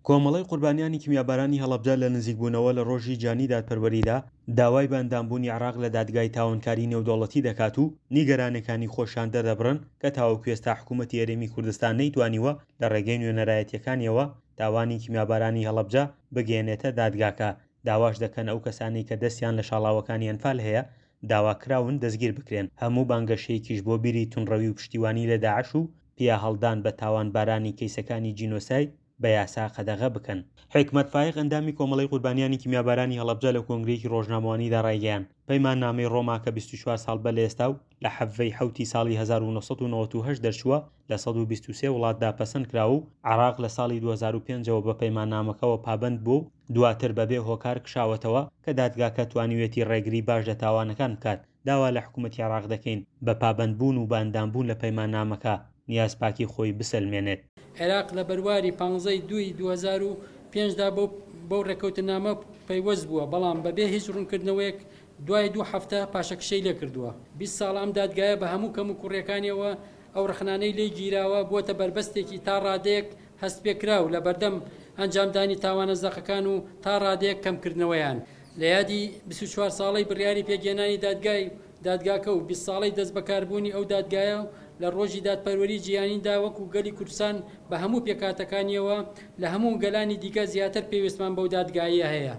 کۆمەڵەی قوربانیانی کیمیابارانی هەڵەبجە لە نزیکبوونەوە لە ڕۆژی جیهانی دادپەروەریدا داوای بە ئەندامبوونی عێراق لە دادگای تاوانکاری نێودەوڵەتی دەکات و نیگەرانێکانی خۆشیان دەردەبڕن کە تاوەکو ئێستا حکوومەتی هەرێمی کوردستان نەیتوانیوە لە ڕێگەی نوێنەرایەتییەکانیەوە تاوانی کیمیابارانی هەڵەبجە بگەیەنێتە دادگاکە، داواش دەکەن ئەو کەسانەی کە دەستیان لە شاڵاوەکانی ئەنفال هەیە داواکراون دەستگیر بکرێن، هەموو بانگەشەیەکیش بۆ بیری توندڕەوی و پشتیوانی لە داعش و پیاهەڵدان بە تاوانبارانی کەیسەکانی جینۆساید بە یاسا قەدەغە بکەن. حیکمەت فایق ئەندامی کۆمەڵەی قوربانیانی کیمیابارانی هەڵەبجە لە کۆنگرەیەکی ڕۆژنامەوانیدا ڕایگەیاند، پەیماننامەی ڕۆما کە 24 ساڵ بەر لە ئێستا و لە حەڤدە ی حەوتی ساڵی 1998 دەرچووە لە 123 وڵاتدا پەسەند کراوە و عێراق لە ساڵی 2005 ەوە بە پەیماننامەکەوە پابەند بووە و دواتر بەبێ هۆکار کشاوەتەوە کە دادگاکە توانیویەتی ڕێگری باش لە تاوانەکان بکات. داوا لە حکومەتی عێراق دەکەین بە پابەندبوون و بە ئەندامبوون لە پەیماننامەکە نیازپاکی خۆی بسەلمێنێت. عێراق لە بەرواری پانزە ی دووی 2005 دا بەو بەو ڕێککەوتننامە پەیوەست بووە، بەڵام بەبێ هیچ ڕوونکردنەوەیەک دوای دوو هەفتە پاشەکشەی لێکردووە. 20 ساڵە ئەم دادگایە بە هەموو کەموکوڕییەکانیەوە ئەو ڕەخنانەی لێی گیراوە بووەتە بەربەستێکی تا ڕادەیەک هەستپێکراو لەبەردەم ئەنجامدانی تاوانە زەقەکان و تا ڕادەیەک کەمکردنەوەیان. لە یادی 24 ساڵەی بڕیاری پێکهێنانی دادگای دادگاکە و 20 ساڵەی دەستبەکاربوونی ئەو دادگایە و لە ڕۆژی دادپەروەری جیهانیدا وەکو گەلی کوردستان بە هەموو پێکهاتەکانیەوە لە هەموو گەلانی دیکە زیاتر پێویستمان بەو دادگایە هەیە.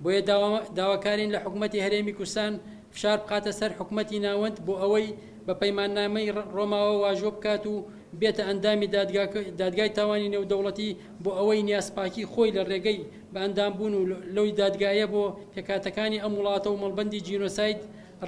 بۆیە داواکارین لە حکومەتی هەرێمی کوردستان فشار بخاتە سەر حکومەتی ناوەند بۆ ئەوەی بە پەیماننامەی ڕۆماوە واژۆ بکات و بێتە ئەندامی دادگای تاوانی نێودەوڵەتی بۆ ئەوەی نیازپاکی خۆی لە ڕێگەی بە ئەندامبوون و لەو دادگایە بۆ پێکهاتەکانی ئەم وڵاتە و مەڵبەندی جینۆساید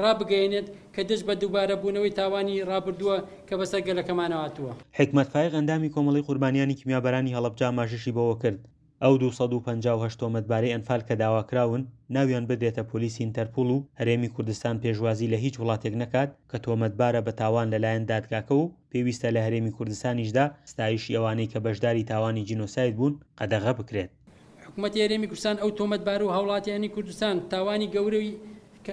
ڕابگەیەنێت کە دژ بە دووبارەبوونەوەی تاوانی ڕابردووە کە بەسەر گەلەکەمانەوە هاتووە. حیکمەت فایق ئەندامی کۆمەڵەی قوربانیانی کیمیابارانی هەڵەبجە ئاماژەشی بەوەکرد، ئەو 258 تۆمەتبارەی ئەنفال کە داواکراون ناویان بدرێتە پۆلیسی ئینتەرپوڵ و هەرێمی کوردستان پێشوازی لە هیچ وڵاتێک نەکات کە تۆمەتبارە بە تاوان لەلایەن دادگاکەوە و پێویستە لە هەرێمی کوردستانیشدا ستایشی ئەوانەی کە بەشداری تاوانی جینۆساید بوون قەدەغە بکرێت. حکومەتی هەرێمی کوردستان ئەو تۆمەتبار و هاوڵاتیانی کوردستان تاوانی گەورەی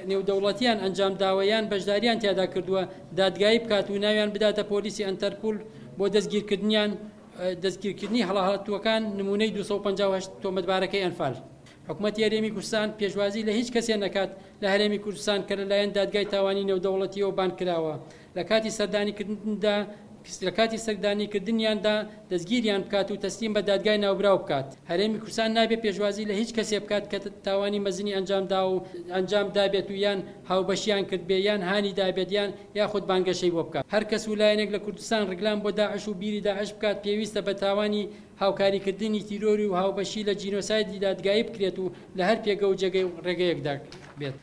نێودەوڵەتیان ئەنجامداوە یان بەشداریان تیادا کردووە دادگایی بکات و ناویان بداتە پۆلیسی ئەنتەرپول بۆ دەستگیرکردنیان دەستگیرکردنی هەڵاتووەکان نموونەی 258 تۆمەتبارەکەی ئەنفال. حکومەتی هەرێمی کوردستان پێشوازی لە هیچ کەسێ نەکات لە هەرێمی کوردستان کە لەلایەن دادگای تاوانی نێودەوڵەتیەوە بانگ کراوە لە کاتی سەردانیکردندا لە کاتی سەردانیکردنیاندا دەستگیریان بکات و تەسلیم بە دادگای ناوبراو بکات. هەرێمی کوردستان نابێ پێشوازی لە هیچ کەسێ بکات کە تاوانی مەزنی ئەنجام داوە و ئەنجام دابێت و یان هاوبەشیان کردبێ یان هانی دابێت یان یاخود بانگەشەی بۆ بکات. هەر کەس و لایەنێک لە کوردستان ڕیکلام بۆ داعش و بیری داعش بکات پێویستە بە تاوانی هاوکاریکردنی تیرۆری و هاوبەشی لە جینۆسایدی دادگایی بکرێت و لە هەر پێگە و جێگەی و ڕێگەیەکدا بێت.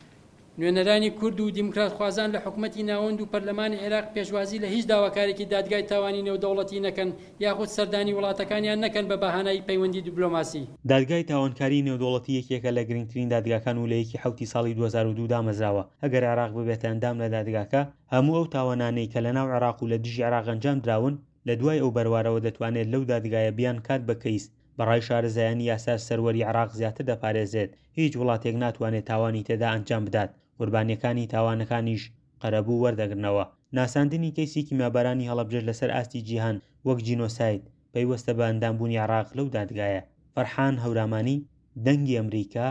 نوێنەرانی کورد و دیموکراتخوازان لە حکومەتی ناوەند و پەرلەمانی عێراق پێشوازی لە هیچ داواکارێکی دادگای تاوانی نێودەوڵەتی نەکەن یاخود سەردانی وڵاتەکانیان نەکەن بە بەهانای پەیوەندی دبلۆماسی. دادگای تاوانکاریی نێودەوڵەتی یەکێکە لە گرنگترین دادگاکان و لە یەکی حەوتی ساڵی 2002 دامەزراوە، ئەگەر عێراق ببێتە ئەندام لە دادگاکە، هەموو ئەو تاوانانەی کە لەناو عێراق و لە دژی عێراق ئەنجام دراون، لە دوای ئەو بەروارەوە دەتوانێت لەو دادگایە بیانکات بە کەیس، بە ڕای شارەزایانی یاساش سەروەری عێراق زیاتر دەپارێزرێت، هیچ وڵاتێک ناتوانێت تاوانی تێدا ئەنجام بدات، قوربانییەکانی تاوانەکانیش قەرەبوو وەردەگرنەوە. ناساندنی کەیسی کیمیابارانی هەڵەبجەش لەسەر ئاستی جیهان وەک جینۆساید، پەیوەستە بە ئەندامبوونی عێراق لەو دادگایە. فەرحان هەورامانی، دەنگی ئەمریکا،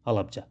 هەڵەبجە.